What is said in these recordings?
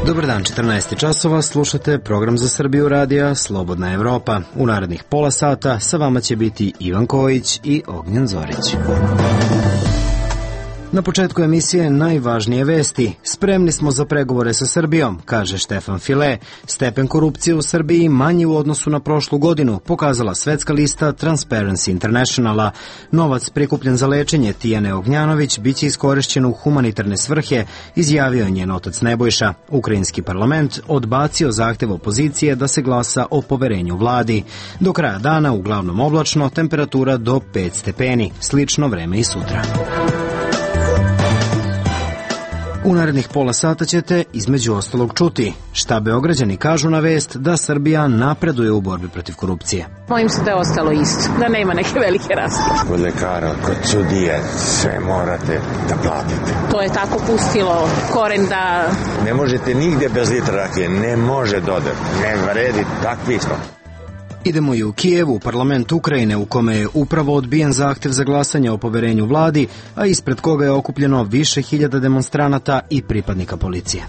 Dobar dan, 14 časova, slušate program za Srbiju radija Slobodna Evropa. U narednih pola sata sa vama će biti Ivan Kojić i Ognjen Zorić. Na početku emisije najvažnije vesti. Spremni smo za pregovore sa Srbijom, kaže Štefan File. Stepen korupcije u Srbiji manji u odnosu na prošlu godinu, pokazala svetska lista Transparency Internationala. Novac prikupljen za lečenje Tijane Ognjanović biće iskorišćen u humanitarne svrhe, izjavio je njen otac Nebojša. Ukrajinski parlament odbacio zahtev opozicije da se glasa o poverenju vladi. Do kraja dana uglavnom oblačno, temperatura do 5 stepeni. Slično vreme i sutra. U narednih pola sata ćete između ostalog čuti šta Beograđani kažu na vest da Srbija napreduje u borbi protiv korupcije. Bojim se da je ostalo isto, da nema neke velike razlike. Kod lekara, kod sudije, sve morate da platite. To je tako pustilo koren da... Ne možete nigde bez litra rakije, ne može dodati, ne vredi, takvi smo. Idemo i u Kijevu, parlament Ukrajine, u kome je upravo odbijen zahtev za glasanje o poverenju vladi, a ispred koga je okupljeno više hiljada demonstranata i pripadnika policije.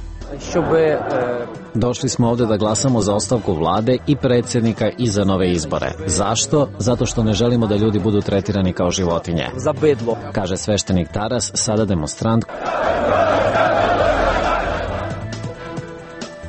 Došli smo ovde da glasamo za ostavku vlade i predsjednika i za nove izbore. Zašto? Zato što ne želimo da ljudi budu tretirani kao životinje. Za bedlo, kaže sveštenik Taras, sada demonstrant.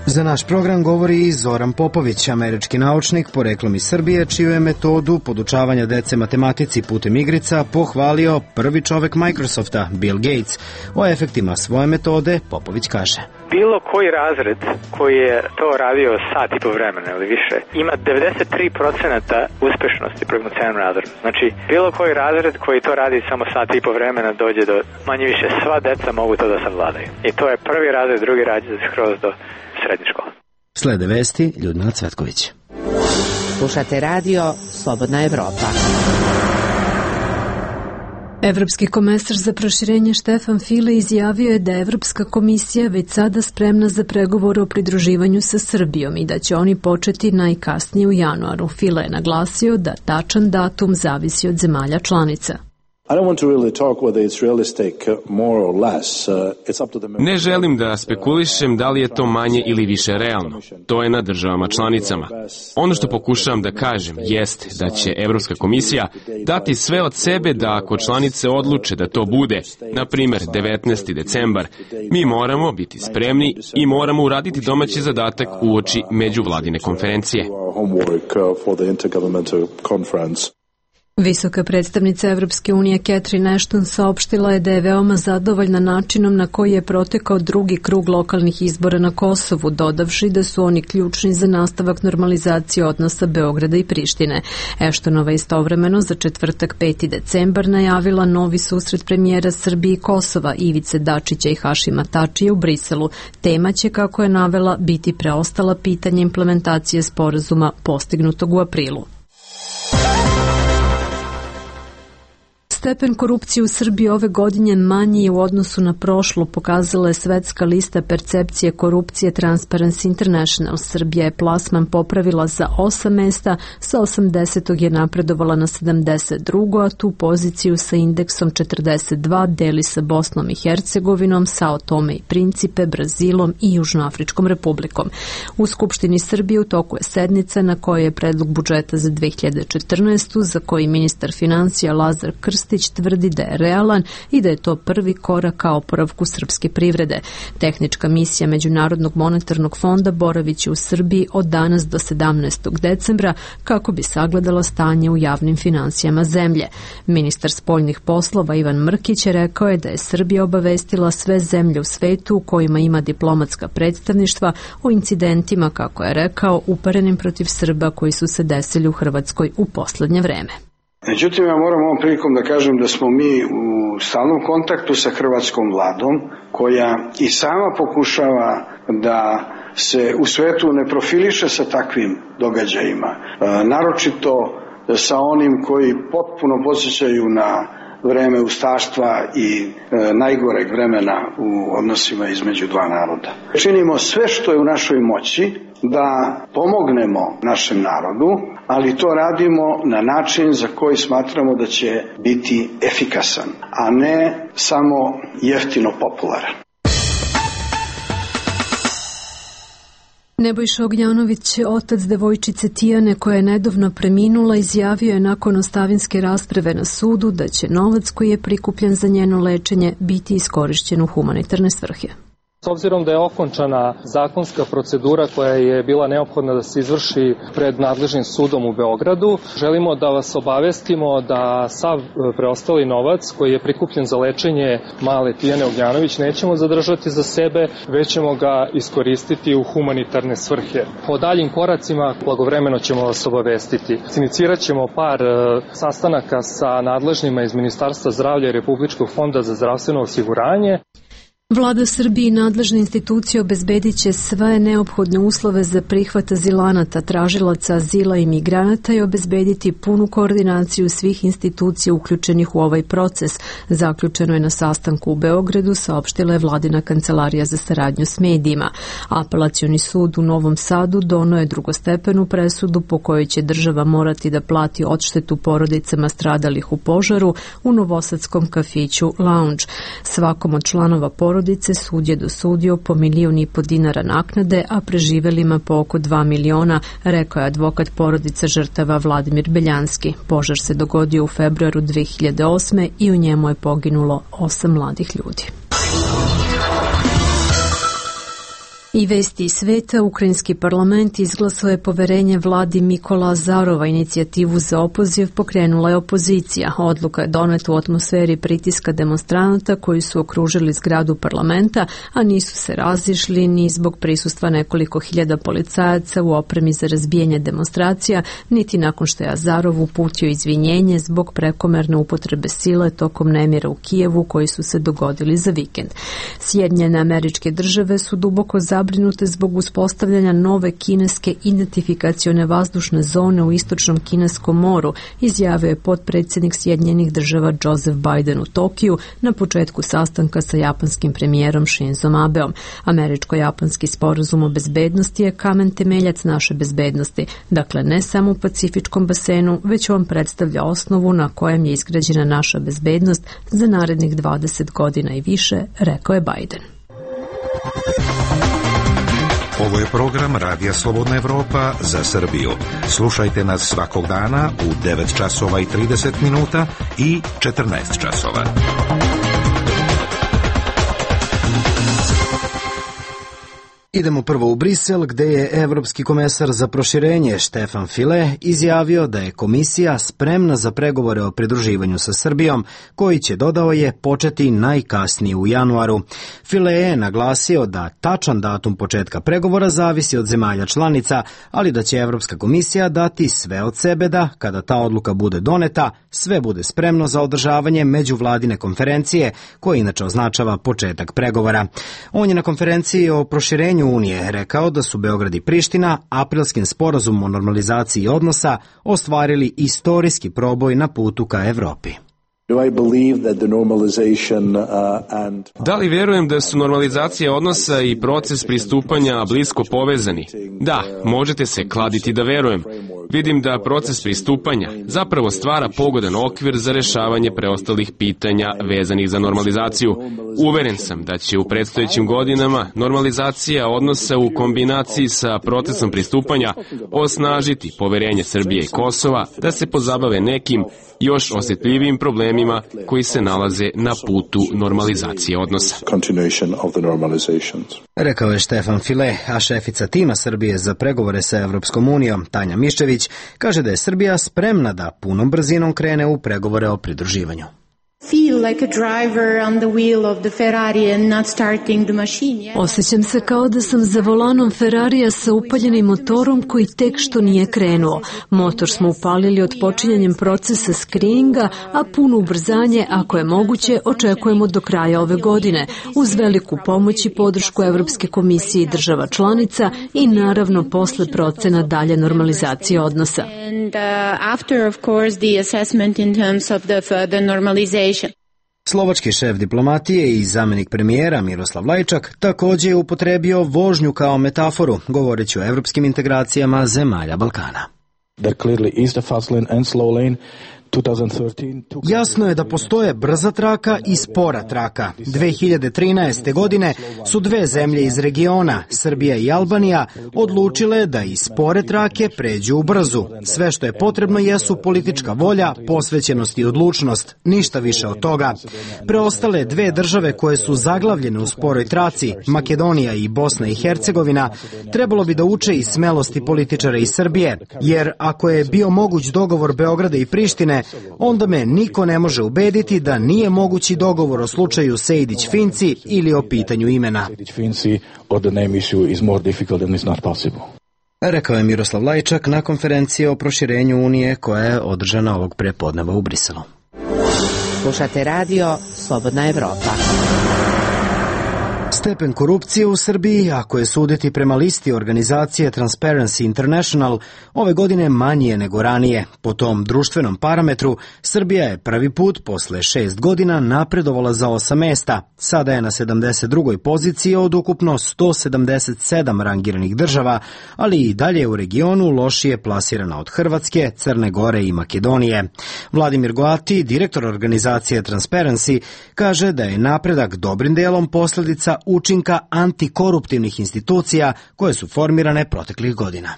Za naš program govori i Zoran Popović, američki naučnik poreklom iz Srbije, čiju je metodu podučavanja dece matematici putem igrica pohvalio prvi čovek Microsofta, Bill Gates. O efektima svoje metode Popović kaže: bilo koji razred koji je to radio sat i po vremena ili više ima 93% uspešnosti prognosticanom razredu. Znači, bilo koji razred koji to radi samo sat i po vremena dođe do manje više sva deca mogu to da savladaju. I to je prvi razred, drugi razred skroz do srednje škole. Slede vesti, Ljudmila Cvetković. Slušate radio Slobodna Evropa. Evropski komesar za proširenje Štefan File izjavio je da je Evropska komisija već sada spremna za pregovore o pridruživanju sa Srbijom i da će oni početi najkasnije u januaru. File je naglasio da tačan datum zavisi od zemalja članica. Ne želim da spekulišem da li je to manje ili više realno. To je na državama članicama. Ono što pokušavam da kažem jeste da će Evropska komisija dati sve od sebe da ako članice odluče da to bude, na primjer 19. decembar, mi moramo biti spremni i moramo uraditi domaći zadatak uoči međuvladine konferencije. Visoka predstavnica Evropske unije Catherine Ashton saopštila je da je veoma zadovoljna načinom na koji je protekao drugi krug lokalnih izbora na Kosovu, dodavši da su oni ključni za nastavak normalizacije odnosa Beograda i Prištine. Ashtonova istovremeno za četvrtak 5. decembar najavila novi susret premijera Srbije i Kosova Ivice Dačića i Hašima Tačija u Briselu. Tema će, kako je navela, biti preostala pitanja implementacije sporazuma postignutog u aprilu. Stepen korupcije u Srbiji ove godine manji je u odnosu na prošlu, pokazala je svetska lista percepcije korupcije Transparency International. Srbija je plasman popravila za 8 mesta, sa 80. je napredovala na 72. a tu poziciju sa indeksom 42 deli sa Bosnom i Hercegovinom, Sao Tome i Principe, Brazilom i Južnoafričkom republikom. U Skupštini Srbije u toku je sednica na kojoj je predlog budžeta za 2014. za koji ministar financija Lazar Krstić tvrdi da je realan i da je to prvi korak ka oporavku srpske privrede. Tehnička misija Međunarodnog monetarnog fonda boraviće u Srbiji od danas do 17. decembra kako bi sagledala stanje u javnim finansijama zemlje. Ministar spoljnih poslova Ivan Mrkić rekao je da je Srbija obavestila sve zemlje u svetu u kojima ima diplomatska predstavništva o incidentima, kako je rekao, uparenim protiv Srba koji su se desili u Hrvatskoj u poslednje vreme. Međutim, ja moram ovom prilikom da kažem da smo mi u stalnom kontaktu sa hrvatskom vladom, koja i sama pokušava da se u svetu ne profiliše sa takvim događajima. Naročito sa onim koji potpuno podsjećaju na vreme ustaštva i najgoreg vremena u odnosima između dva naroda. Činimo sve što je u našoj moći da pomognemo našem narodu, ali to radimo na način za koji smatramo da će biti efikasan, a ne samo jeftino popularan. Nebojša Ognjanović, otac devojčice Tijane koja je nedavno preminula, izjavio je nakon ostavinske rasprave na sudu da će novac koji je prikupljen za njeno lečenje biti iskorišćen u humanitarne svrhe. S obzirom da je okončana zakonska procedura koja je bila neophodna da se izvrši pred nadležnim sudom u Beogradu, želimo da vas obavestimo da sav preostali novac koji je prikupljen za lečenje male Tijane Ognjanović nećemo zadržati za sebe, već ćemo ga iskoristiti u humanitarne svrhe. O daljim koracima blagovremeno ćemo vas obavestiti. Inicirat ćemo par sastanaka sa nadležnima iz Ministarstva zdravlja i Republičkog fonda za zdravstveno osiguranje. Vlada Srbije i nadležne institucije obezbedit će sve neophodne uslove za prihvat azilanata, tražilaca azila i migranata i obezbediti punu koordinaciju svih institucija uključenih u ovaj proces. Zaključeno je na sastanku u Beogradu, saopštila je Vladina kancelarija za saradnju s medijima. Apelacioni sud u Novom Sadu doneo je drugostepenu presudu po kojoj će država morati da plati odštetu porodicama stradalih u požaru u novosadskom kafiću Lounge. Svakom od članova porodice sud je dosudio po 1,5 miliona dinara naknade, a preživelima po oko 2 miliona, rekao je advokat porodica žrtava Vladimir Beljanski. Požar se dogodio u februaru 2008. i u njemu je poginulo 8 mladih ljudi. I vesti iz sveta, ukrajinski parlament izglasao je poverenje vladi Mikola Azarova, inicijativu za opoziv pokrenula je opozicija. Odluka je doneta u atmosferi pritiska demonstranata koji su okružili zgradu parlamenta, a nisu se razišli ni zbog prisustva nekoliko hiljada policajaca u opremi za razbijanje demonstracija, niti nakon što je Azarov uputio izvinjenje zbog prekomerne upotrebe sile tokom nemira u Kijevu koji su se dogodili za vikend. Sjedinjene Američke Države su duboko zabrinute zbog uspostavljanja nove kineske identifikacione vazdušne zone u istočnom Kineskom moru, izjavio je potpredsjednik Sjedinjenih Država Joseph Biden u Tokiju na početku sastanka sa japanskim premijerom Shinzom Abeom. Američko-japanski sporazum o bezbednosti je kamen temeljac naše bezbednosti, dakle ne samo u Pacifičkom basenu, već on predstavlja osnovu na kojem je izgrađena naša bezbednost za narednih 20 godina i više, rekao je Biden. Ovo je program Radija Slobodna Evropa za Srbiju. Slušajte nas svakog dana u 9 časova i 30 minuta i 14 časova. Idemo prvo u Brisel, gde je evropski komesar za proširenje Stefan File izjavio da je komisija spremna za pregovore o pridruživanju sa Srbijom, koji će, dodao je, početi najkasnije u januaru. File je naglasio da tačan datum početka pregovora zavisi od zemalja članica, ali da će Evropska komisija dati sve od sebe da, kada ta odluka bude doneta, sve bude spremno za održavanje međuvladine konferencije, koja inače označava početak pregovora. On je na konferenciji o proširenju Unije rekao da su Beograd i Priština aprilskim sporazumom o normalizaciji odnosa ostvarili istorijski proboj na putu ka Evropi. Da li vjerujem da su normalizacija odnosa i proces pristupanja blisko povezani? Da, možete se kladiti da verujem. Vidim da proces pristupanja zapravo stvara pogodan okvir za rešavanje preostalih pitanja vezanih za normalizaciju. Uveren sam da će u predstojećim godinama normalizacija odnosa u kombinaciji sa procesom pristupanja osnažiti poverenje Srbije i Kosova da se pozabave nekim još osjetljivijim problemima koji se nalaze na putu normalizacije odnosa. Rekao je Stefan File, a šefica tima Srbije za pregovore sa Evropskom unijom, Tanja Miščević, kaže da je Srbija spremna da punom brzinom krene u pregovore o pridruživanju. Osjećam se kao da sam za volanom Ferrarija sa upaljenim motorom koji tek što nije krenuo. Motor smo upalili odpočinjanjem procesa skrininga, a puno ubrzanje, ako je moguće, očekujemo do kraja ove godine, uz veliku pomoć i podršku Evropske komisije i država članica i naravno posle procena dalje normalizacije odnosa. Slovački šef diplomatije i zamenik premijera Miroslav Lajčak također je upotrebio vožnju kao metaforu, govoreći o evropskim integracijama zemalja Balkana. There clearly is the fast lane and slow lane. Jasno je da postoje brza traka i spora traka. 2013. godine su dve zemlje iz regiona, Srbija i Albanija, odlučile da iz spore trake pređu u brzu. Sve što je potrebno jesu politička volja, posvećenost i odlučnost, ništa više od toga. Preostale dve države koje su zaglavljene u sporoj traci, Makedonija i Bosna i Hercegovina, trebalo bi da uče i smelosti političara iz Srbije, jer ako je bio moguć dogovor Beograda i Prištine, onda me niko ne može ubediti da nije mogući dogovor o slučaju Sejdić-Finci ili o pitanju imena. Rekao je Miroslav Lajčak na konferenciji o proširenju Unije koja je održana ovog prepodneva u Briselu. Slušate radio Slobodna Evropa. Stepen korupcije u Srbiji, ako je suditi prema listi organizacije Transparency International, ove godine manji je nego ranije. Po tom društvenom parametru, Srbija je prvi put posle 6 godina napredovala za 8 mesta. Sada je na 72. poziciji od ukupno 177 rangiranih država, ali i dalje u regionu lošije plasirana od Hrvatske, Crne Gore i Makedonije. Vladimir Goati, direktor organizacije Transparency, kaže da je napredak dobrim delom posledica učinka antikoruptivnih institucija koje su formirane proteklih godina.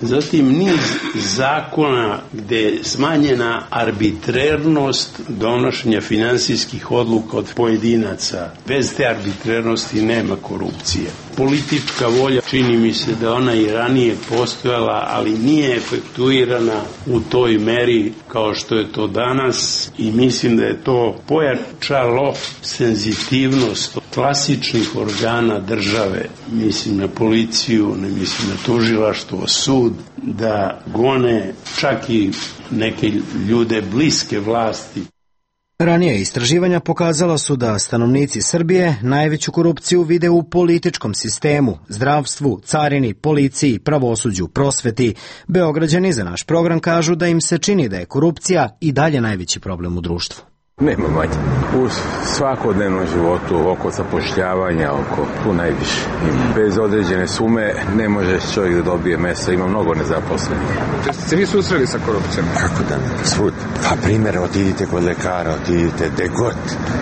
Zatim niz zakona gde je smanjena arbitrernost donošenja finansijskih odluka od pojedinaca. Bez te arbitrernosti nema korupcije. Politička volja, čini mi se da ona i ranije postojala, ali nije efektuirana u toj meri kao što je to danas i mislim da je to pojačalo senzitivnost klasičnih organa države, mislim na policiju, ne mislim na tužilaštvo, sud, da gone čak i neke ljude bliske vlasti. Ranije istraživanja pokazala su da stanovnici Srbije najveću korupciju vide u političkom sistemu, zdravstvu, carini, policiji, pravosuđu, prosveti. Beograđani za naš program kažu da im se čini da je korupcija i dalje najveći problem u društvu. Nema manje. U svakodnevnom životu, oko zapošljavanja, tu najviše. Bez određene sume ne može čovjek da dobije mesto, ima mnogo nezaposlenih. Ste se vi susreli sa korupcijom? Kako da ne? Svud. Pa primjer, otidite kod lekara, otidite gde god,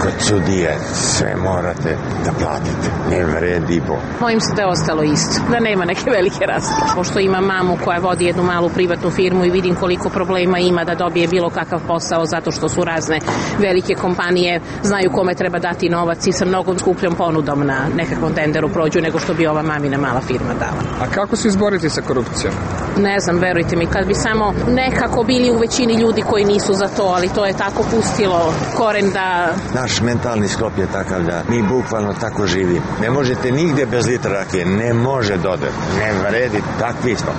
kod sudije, sve morate da platite. Ne vredi bo. Mojim se da je ostalo isto, da nema neke velike razlike. Pošto imam mamu koja vodi jednu malu privatnu firmu i vidim koliko problema ima da dobije bilo kakav posao zato što su razne velike kompanije znaju kome treba dati novac i sa mnogo skupljom ponudom na nekakvom tenderu prođu nego što bi ova mamina mala firma dala. A kako se izboriti sa korupcijom? Ne znam, verujte mi, kad bi samo nekako bili u većini ljudi koji nisu za to, ali to je tako pustilo koren da... Naš mentalni sklop je takav da mi bukvalno tako živimo. Ne možete nigde bez litra rakije, ne može dodat, ne vredi, takvi smo.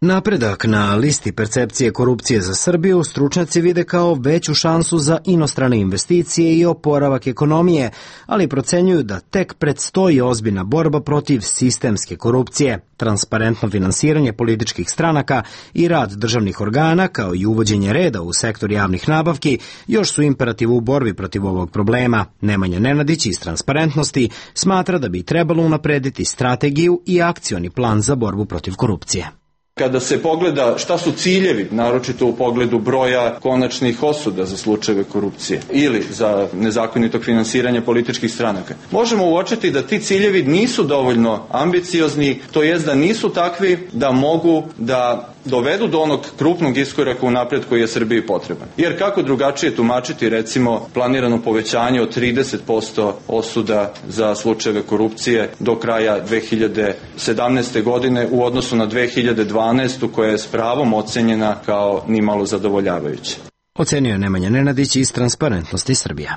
Napredak na listi percepcije korupcije za Srbiju stručnjaci vide kao veću šansu za inostrane investicije i oporavak ekonomije, ali procenjuju da tek predstoji ozbiljna borba protiv sistemske korupcije, transparentno finansiranje političkih stranaka i rad državnih organa, kao i uvođenje reda u sektor javnih nabavki, još su imperativ u borbi protiv ovog problema. Nemanja Nenadić iz Transparentnosti smatra da bi trebalo unaprediti strategiju i akcioni plan za borbu protiv korupcije. Kada se pogleda šta su ciljevi, naročito u pogledu broja konačnih osuda za slučajeve korupcije ili za nezakonitog finansiranja političkih stranaka, možemo uočiti da ti ciljevi nisu dovoljno ambiciozni, to jest da nisu takvi da mogu da dovedu do onog krupnog iskoraka u napred koji je Srbiji potreban. Jer kako drugačije tumačiti recimo planirano povećanje od 30% osuda za slučajeve korupcije do kraja 2017. godine u odnosu na 2012. koja je s pravom ocenjena kao nimalo zadovoljavajuća. Ocenio je Nemanja Nenadić iz Transparentnosti Srbija.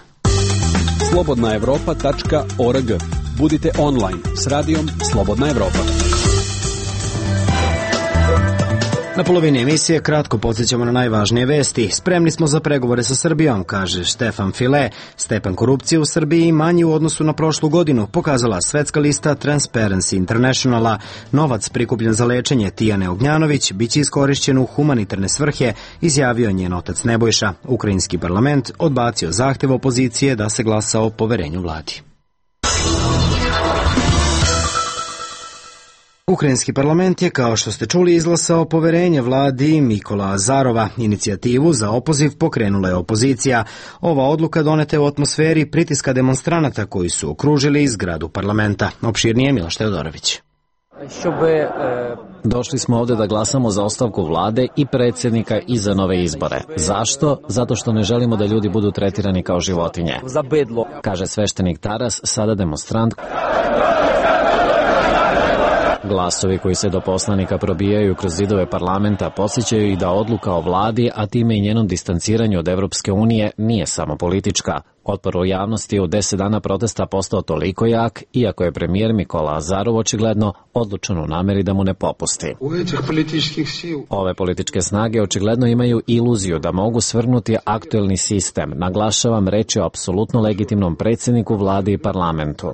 slobodnaevropa.org. Budite online s radijom Slobodna Evropa. Na polovini emisije kratko podsjećamo na najvažnije vesti. Spremni smo za pregovore sa Srbijom, kaže Stefan File. Stepen korupcije u Srbiji manji u odnosu na prošlu godinu, pokazala svetska lista Transparency Internationala. Novac prikupljen za lečenje Tijane Ognjanović biće iskorišćen u humanitarne svrhe, izjavio njen otac Nebojša. Ukrajinski parlament odbacio zahtev opozicije da se glasa o poverenju vladi. Ukrajinski parlament je, kao što ste čuli, izglasao poverenje vladi Mikola Azarova. Inicijativu za opoziv pokrenula je opozicija. Ova odluka doneta je u atmosferi pritiska demonstranata koji su okružili zgradu parlamenta. Opširnije Miloš Teodorović. Došli smo ovde da glasamo za ostavku vlade i predsjednika i za nove izbore. Zašto? Zato što ne želimo da ljudi budu tretirani kao životinje, kaže sveštenik Taras, sada demonstrant. Glasovi koji se do poslanika probijaju kroz zidove parlamenta podsjećaju i da odluka o vladi, a time i njenom distanciranju od Evropske unije, nije samo politička. Otpor u javnosti je u 10 dana protesta postao toliko jak, iako je premijer Mikola Azarov očigledno odlučan u nameri da mu ne popusti. Ove političke snage očigledno imaju iluziju da mogu svrgnuti aktuelni sistem. Naglašavam, reč je o apsolutno legitimnom predsjedniku vlade i parlamentu.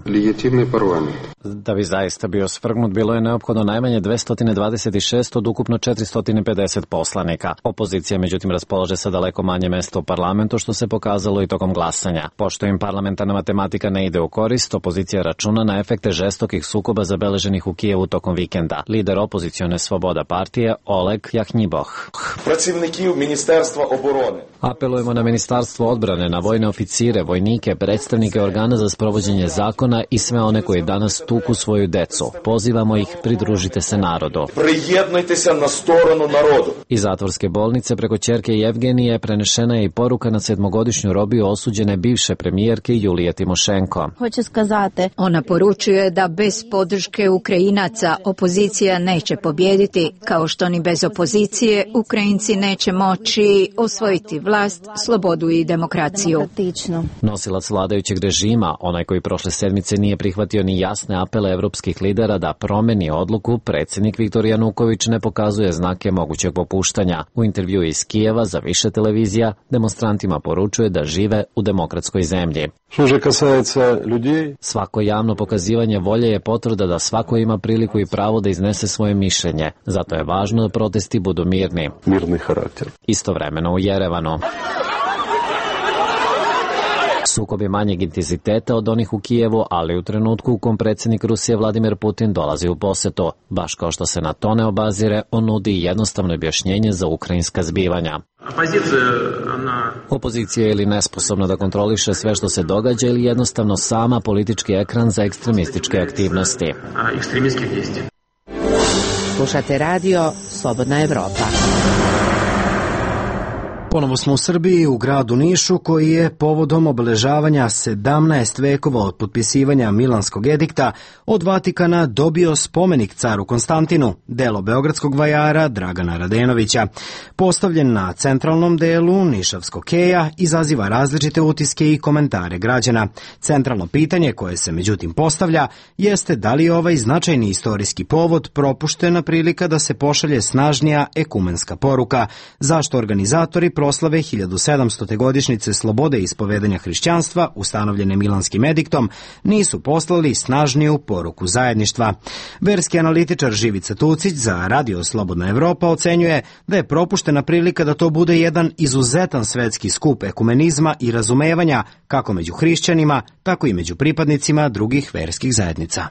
Da bi zaista bio svrgnut, bilo je neophodno najmanje 226 od ukupno 450 poslanika. Opozicija međutim raspolaže sa daleko manje mesta u parlamentu, što se pokazalo i tokom glasanja. Pošto im parlamentarna matematika ne ide u korist, opozicija računa na efekte žestokih sukoba zabeleženih u Kijevu tokom vikenda. Lider opozicione Svoboda partije Oleg Jahnjiboh. Apelujemo na Ministarstvo odbrane, na vojne oficire, vojnike, predstavnike organa za sprovođenje zakona i sve one koji danas tuku svoju decu. Pozivamo ih, pridružite se narodu. Prijednujte se na stranu narodu. Iz zatvorske bolnice preko ćerke Jevgenije prenešena je i poruka na 7-godišnju robiju osuđene bivše premijerke Julije Timošenko. Ona poručuje da bez podrške Ukrajinaca opozicija neće pobijediti, kao što ni bez opozicije Ukrajinci neće moći osvojiti vlast, slobodu i demokraciju. Nosilac vladajućeg režima, onaj koji prošle sedmice nije prihvatio ni jasne apele evropskih lidera da promeni odluku, predsjednik Viktor Januković ne pokazuje znake mogućeg popuštanja. U intervju iz Kijeva za više televizija demonstrantima poručuje da žive u demokratskoj zemlji. Svako javno pokazivanje volje je potvrda da svako ima priliku i pravo da iznese svoje mišljenje. Zato je važno da protesti budu mirni. Istovremeno u Jerevanu. Sukob je manjeg intenziteta od onih u Kijevu, ali u trenutku u kom predsjednik Rusije Vladimir Putin dolazi u posetu. Baš kao što se na to ne obazire, on nudi jednostavno objašnjenje za ukrajinska zbivanja. Opozicija je ili nesposobna da kontroliše sve što se događa ili jednostavno sama politički ekran za ekstremističke aktivnosti. Slušate radio Slobodna Evropa. Ponovo smo u Srbiji, u gradu Nišu, koji je povodom obeležavanja 17 vekova od potpisivanja Milanskog edikta od Vatikana dobio spomenik caru Konstantinu, delo beogradskog vajara Dragana Radenovića. Postavljen na centralnom delu Nišavskog keja, izaziva različite utiske i komentare građana. Centralno pitanje koje se međutim postavlja jeste da li je ovaj značajni istorijski povod propuštena prilika da se pošalje snažnija ekumenska poruka, zašto organizatori proslave 1700. godišnjice slobode ispovedanja hrišćanstva, ustanovljene Milanskim ediktom, nisu poslali snažniju poruku zajedništva. Verski analitičar Živica Tucić za Radio Slobodna Evropa ocenjuje da je propuštena prilika da to bude jedan izuzetan svetski skup ekumenizma i razumevanja kako među hrišćanima, tako i među pripadnicima drugih verskih zajednica.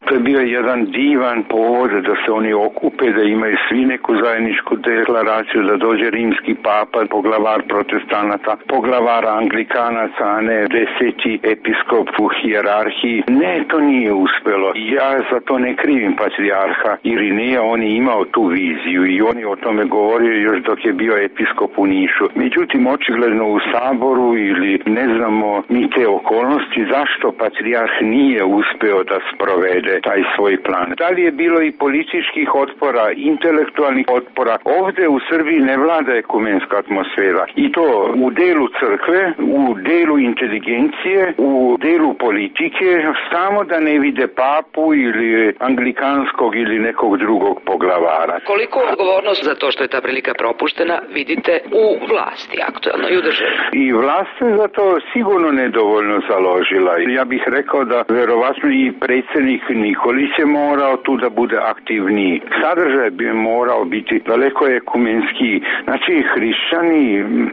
To je bio jedan divan povod da se oni okupe, da imaju svi neku zajedničku deklaraciju, da dođe rimski papa, poglavar protestanata, poglavar anglikanaca, a ne 10. episkop u hijerarhiji. Ne, to nije uspelo. Ja za to ne krivim patrijarha Irineja, on je imao tu viziju i on je o tome govorio još dok je bio episkop u Nišu. Međutim, očigledno u Saboru ili ne znamo mi te okolnosti zašto patrijarh nije uspeo da sprovede taj svoj plan. Da li je bilo i političkih otpora, intelektualnih otpora? Ovde u Srbiji ne vlada ekumenska atmosfera. I to u delu crkve, u delu inteligencije, u delu politike, samo da ne vide papu ili anglikanskog ili nekog drugog poglavara. Koliko odgovornost za to što je ta prilika propuštena vidite u vlasti aktualno i u državi? I vlast se za to sigurno nedovoljno založila. Ja bih rekao da verovatno i predsjednik ni Nikolić je morao tu da bude aktivniji. Sadržaj bi morao biti daleko ekumenski. Znači, hrišćani,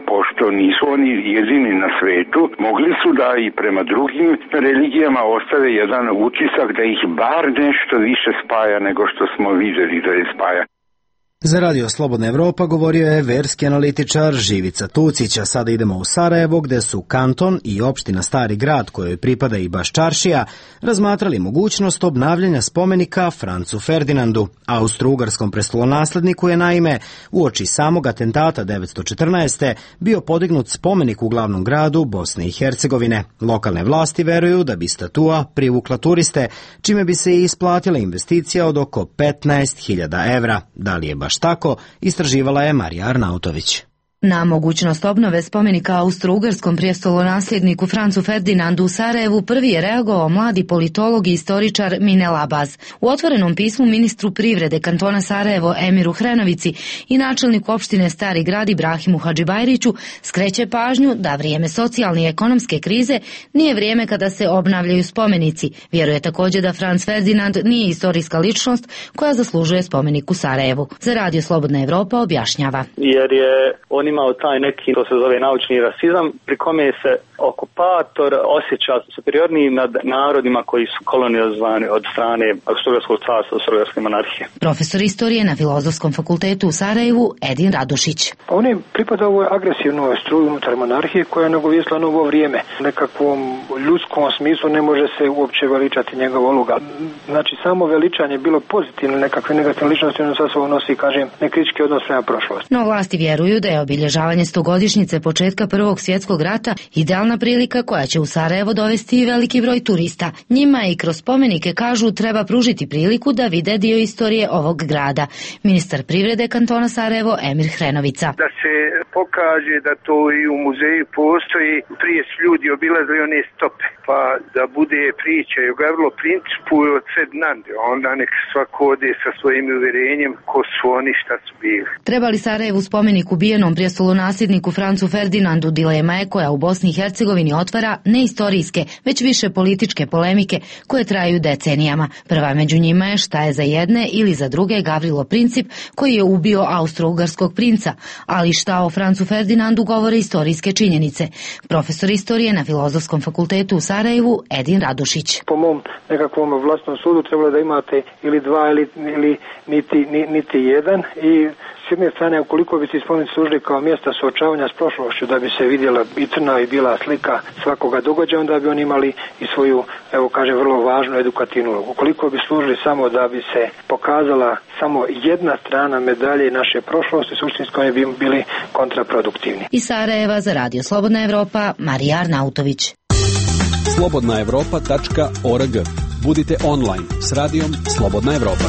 pošto nisu oni jedini na svetu, mogli su da i prema drugim religijama ostave jedan utisak da ih bar nešto više spaja nego što smo videli da je spaja. Za Radio Slobodna Evropa govorio je verski analitičar Živica Tucić, a sada idemo u Sarajevo, gde su kanton i opština Stari grad, kojoj pripada i Baščaršija, razmatrali mogućnost obnavljanja spomenika Francu Ferdinandu. Austro-ugarskom prestolonasledniku je naime uoči samog atentata 1914. bio podignut spomenik u glavnom gradu Bosne i Hercegovine. Lokalne vlasti veruju da bi statua privukla turiste, čime bi se i isplatila investicija od oko 15.000 evra. Da li je baš tako, istraživala je Marija Arnautović. Na mogućnost obnove spomenika austro-ugarskom prijestolonasljedniku Francu Ferdinandu u Sarajevu prvi je reagovao mladi politolog i istoričar Minel Abaz. U otvorenom pismu ministru privrede kantona Sarajevo Emiru Hrenovici i načelniku opštine Stari grad Ibrahimu Hadžibajriću skreće pažnju da vrijeme socijalne i ekonomske krize nije vrijeme kada se obnavljaju spomenici. Vjeruje također da Franc Ferdinand nije istorijska ličnost koja zaslužuje spomenik u Sarajevu. Za Radio Slobodna Evropa objašnjava. Jer je on imao taj neki, to se zove naučni rasizam, pri kome se okupator osjeća superiorniji nad narodima koji su kolonizovani od strane Austro-ugarskog carstva, Austro-ugarske monarhije. Profesor istorije na Filozofskom fakultetu u Sarajevu Edin Radošić. On je pripadao ovoj agresivnoj struji unutar monarhije koja je nagovijestila novo vrijeme. Nekakvom ljudskom smislu ne može se uopće veličati njegova uloga. Znači samo veličanje bilo pozitivno, nekakve negativne ličnosti ono sa sobom nosi, kažem, nekritički odnos prema prošlosti. No vlasti vjeruju da je obilježavanje 100-godišnjice početka Prvog svjetskog rata idealna prilika koja će u Sarajevo dovesti i veliki broj turista. Njima i kroz spomenike, kažu, treba pružiti priliku da vide dio istorije ovog grada. Ministar privrede kantona Sarajevo Emir Hrenovica. Da se pokaže da to i u muzeju postoji, prije su ljudi obilazili one stope, pa da bude priča i o Gavrilo principu i od Ferdinande, onda nek svako ode sa svojim uvjerenjem ko su oni, šta su bili. Treba li Sarajevu spomenik ubijenom prijestolonasljedniku Francu Ferdinandu dilema je koja u Bosni i Hercegovini otvara ne istorijske, već više političke polemike koje traju decenijama. Prva među njima je šta je za jedne ili za druge Gavrilo Princip koji je ubio austro-ugarskog princa, ali šta o Francu Ferdinandu govore istorijske činjenice. Profesor istorije na Filozofskom fakultetu u Sarajevu Edin Radošić. Po mom nekakvom vlastnom sudu trebalo da imate ili dva ili niti jedan i s jedne strane, ukoliko bi se spomenici služili kao mjesta suočavanja s prošlošću, da bi se vidjela i crna i bila slika svakoga događaja, onda bi oni imali i svoju, evo kažem, vrlo važnu edukativnu ulogu. Ukoliko bi služili samo da bi se pokazala samo jedna strana medalje naše prošlosti, suštinski oni bi bili kontraproduktivni. Iz Sarajeva za Radio Slobodna Evropa, Marija Arnautović. slobodnaevropa.org. Budite online s radijom Slobodna Evropa.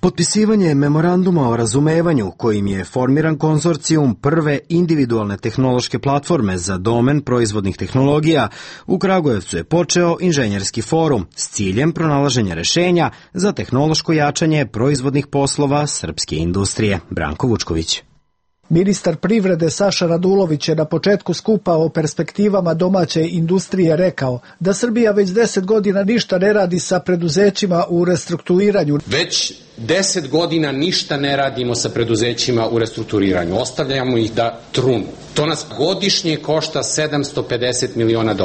Potpisivanje memoranduma o razumevanju kojim je formiran konzorcijum prve individualne tehnološke platforme za domen proizvodnih tehnologija u Kragujevcu je počeo inženjerski forum s ciljem pronalaženja rešenja za tehnološko jačanje proizvodnih poslova srpske industrije. Branko Vučković. Ministar privrede Saša Radulović je na početku skupa o perspektivama domaće industrije rekao da Srbija već 10 godina ništa ne radi sa preduzećima u restrukturiranju. Već 10 godina ništa ne radimo sa preduzećima u restrukturiranju. Ostavljamo ih da trunu. To nas godišnje košta $750 miliona.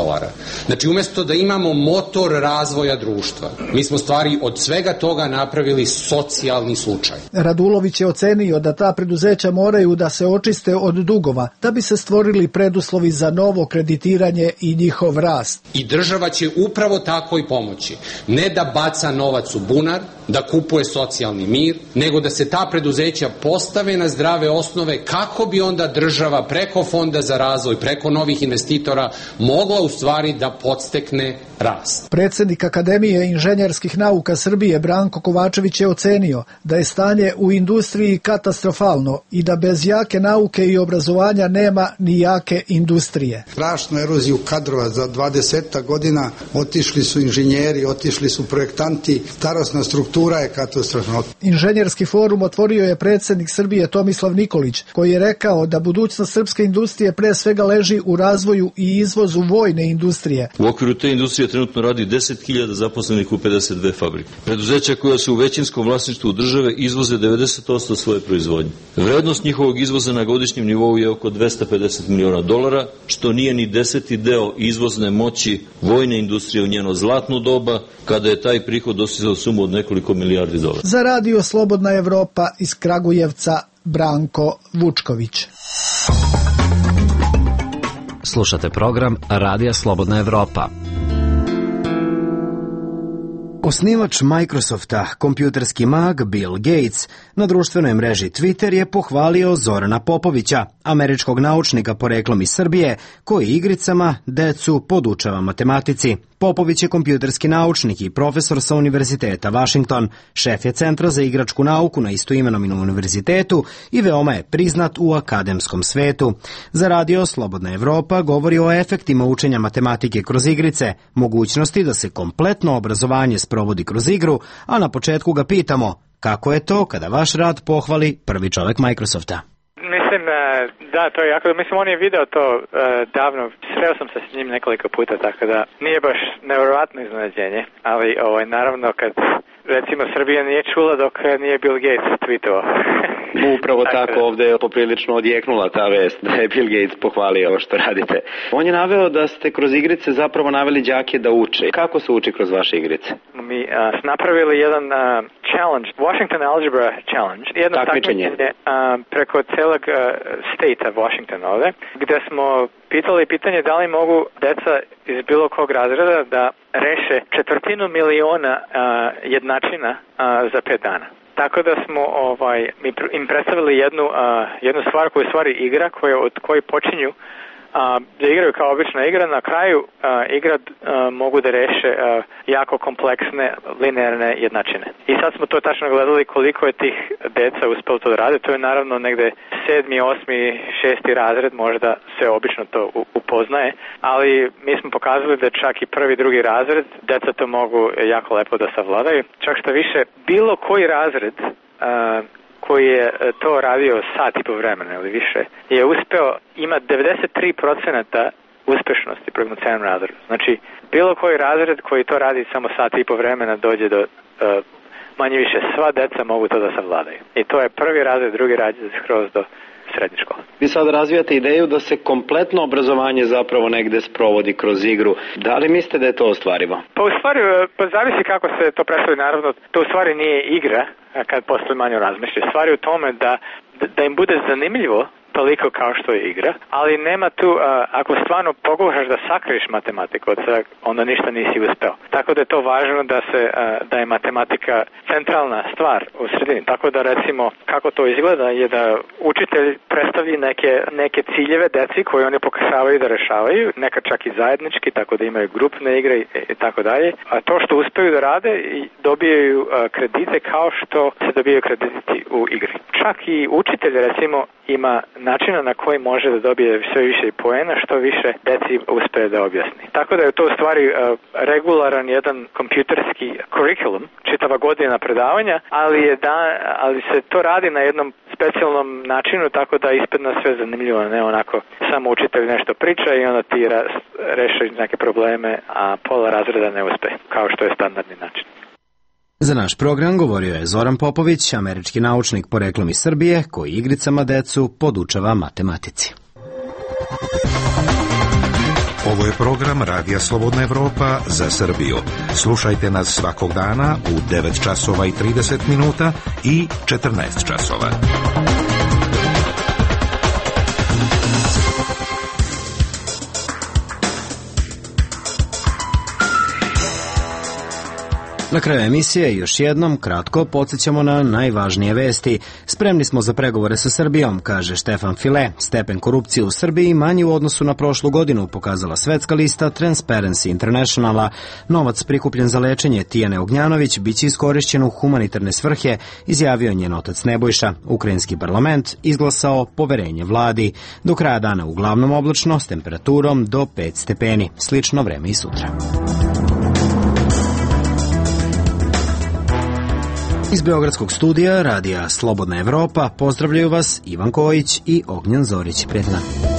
Znači, umjesto da imamo motor razvoja društva, mi smo stvari od svega toga napravili socijalni slučaj. Radulović je ocenio da ta preduzeća moraju da se očiste od dugova, da bi se stvorili preduslovi za novo kreditiranje i njihov rast. I država će upravo tako i pomoći. Ne da baca novac u bunar, da kupuje socijalni mir, nego da se ta preduzeća postave na zdrave osnove kako bi onda država preko Fonda za razvoj, preko novih investitora mogla u stvari da podstekne rast. Predsjednik Akademije inženjerskih nauka Srbije Branko Kovačević je ocenio da je stanje u industriji katastrofalno i da bez jake nauke i obrazovanja nema ni jake industrije. Strašnu eroziju kadrova za 20 godina, otišli su inženjeri, otišli su projektanti, starosna struktura je katastrofalna. važno. Inženjerski forum otvorio je predsjednik Srbije Tomislav Nikolić, koji je rekao da budućnost srpske industrije pre svega leži u razvoju i izvozu vojne industrije. U okviru te industrije trenutno radi 10.000 zaposlenih u 52 fabrike. Preduzeća koja su u većinskom vlasništvu države izvoze 90% svoje proizvodnje. Vrednost njihovog izvoza na godišnjem nivou je oko $250 miliona, što nije ni 10. deo izvozne moći vojne industrije u njeno zlatno doba, kada je taj prihod dostizao sumu od nekoliko milijardi dolara. Za Radio Slobodna Evropa iz Kragujevca, Branko Vučković. Slušate program Radija Slobodna Evropa. Osnivač Microsofta, kompjuterski mag Bill Gates, na društvenoj mreži Twitter je pohvalio Zorana Popovića, američkog naučnika poreklom iz Srbije, koji igricama decu podučava matematici. Popović je kompjuterski naučnik i profesor sa Univerziteta Washington, šef je Centra za igračku nauku na istoimenom univerzitetu i veoma je priznat u akademskom svetu. Za Radio Slobodna Evropa govori o efektima učenja matematike kroz igrice, mogućnosti da se kompletno obrazovanje sprovodi kroz igru, a na početku ga pitamo kako je to kada vaš rad pohvali prvi čovek Microsofta. Mislim, da, to je jako, mislim, on je video to davno, sreo sam se s njim nekoliko puta, tako da nije baš nevjerovatno iznenađenje, ali naravno kad, recimo, Srbija nije čula dok nije Bill Gates tweetovao. Upravo tako, ovde je poprilično odjeknula ta vest da je Bill Gates pohvalio ovo što radite. On je naveo da ste kroz igrice zapravo naveli đake da uče. Kako se uči kroz vaše igrice? Mi smo napravili jedan challenge, Washington Algebra Challenge, jedno takmičenje preko celog state Washington ovde, gde smo pitali pitanje da li mogu deca iz bilo kog razreda da reše 250.000.000 jednačina za 5 dana. Tako da smo im predstavili jednu stvar koja je stvari igra od koje počinju da igraju kao obična igra. Na kraju igra mogu da reše jako kompleksne linearne jednačine. I sad smo to tačno gledali koliko je tih deca uspelo to da rade. To je naravno negde 7., 8., 6. razred, možda se obično to upoznaje, ali mi smo pokazali da čak i 1., 2. razred deca to mogu jako lepo da savladaju. Čak što više, bilo koji razred koji je to radio sat i po vremena ili više, je uspeo, ima 93% uspešnosti prema celom razredu. Znači, bilo koji razred koji to radi samo sat i po vremena dođe do, manje više, sva deca mogu to da savladaju. I to je 1. razred, 2. razred, skroz do srednje škole. Vi sad razvijate ideju da se kompletno obrazovanje zapravo negde sprovodi kroz igru. Da li mislite da je to ostvarivo? Pa u stvari, zavisi kako se to predstavi, naravno, to u stvari nije igra, kad posle manje razmišljaju. Stvari u tome da im bude zanimljivo toliko kao što je igra, ali nema tu, ako stvarno pokušaš da sakriješ matematiku, onda ništa nisi uspeo. Tako da je to važno da je matematika centralna stvar u sredini. Tako da, recimo, kako to izgleda je da učitelj predstavi neke ciljeve deci koje oni pokušavaju da rešavaju, nekad čak i zajednički, tako da imaju grupne igre i tako dalje. A to što uspeju da rade, dobijaju kredite kao što se dobijaju krediti u igri. Čak i učitelj, recimo, ima načina na koji može da dobije sve više poena, što više deci uspe da objasni. Tako da je to u stvari regularan jedan kompjuterski kurikulum, čitava godina predavanja, ali se to radi na jednom specijalnom načinu, tako da ispadne sve zanimljivo, ne onako samo učitelj nešto priča i onda ti reši neke probleme, a pola razreda ne uspe, kao što je standardni način. Za naš program govorio je Zoran Popović, američki naučnik poreklom iz Srbije, koji igricama decu podučava matematici. Ovo je program Radija Slobodna Evropa za Srbiju. Slušajte nas svakog dana u 9 časova i 30 minuta i 14 časova. Na kraju emisije još jednom kratko podsjećamo na najvažnije vesti. Spremni smo za pregovore sa Srbijom, kaže Štefan File. Stepen korupcije u Srbiji manji u odnosu na prošlu godinu, pokazala svetska lista Transparency Internationala. Novac prikupljen za lečenje Tijane Ognjanović biće iskorišćen u humanitarne svrhe, izjavio njen otac Nebojša. Ukrajinski parlament izglasao poverenje vladi. Do kraja dana uglavnom oblačno s temperaturom do 5 stepeni. Slično vreme i sutra. Iz Beogradskog studija Radija Slobodna Evropa pozdravljaju vas Ivan Kojić i Ognjen Zorić. Prijetno.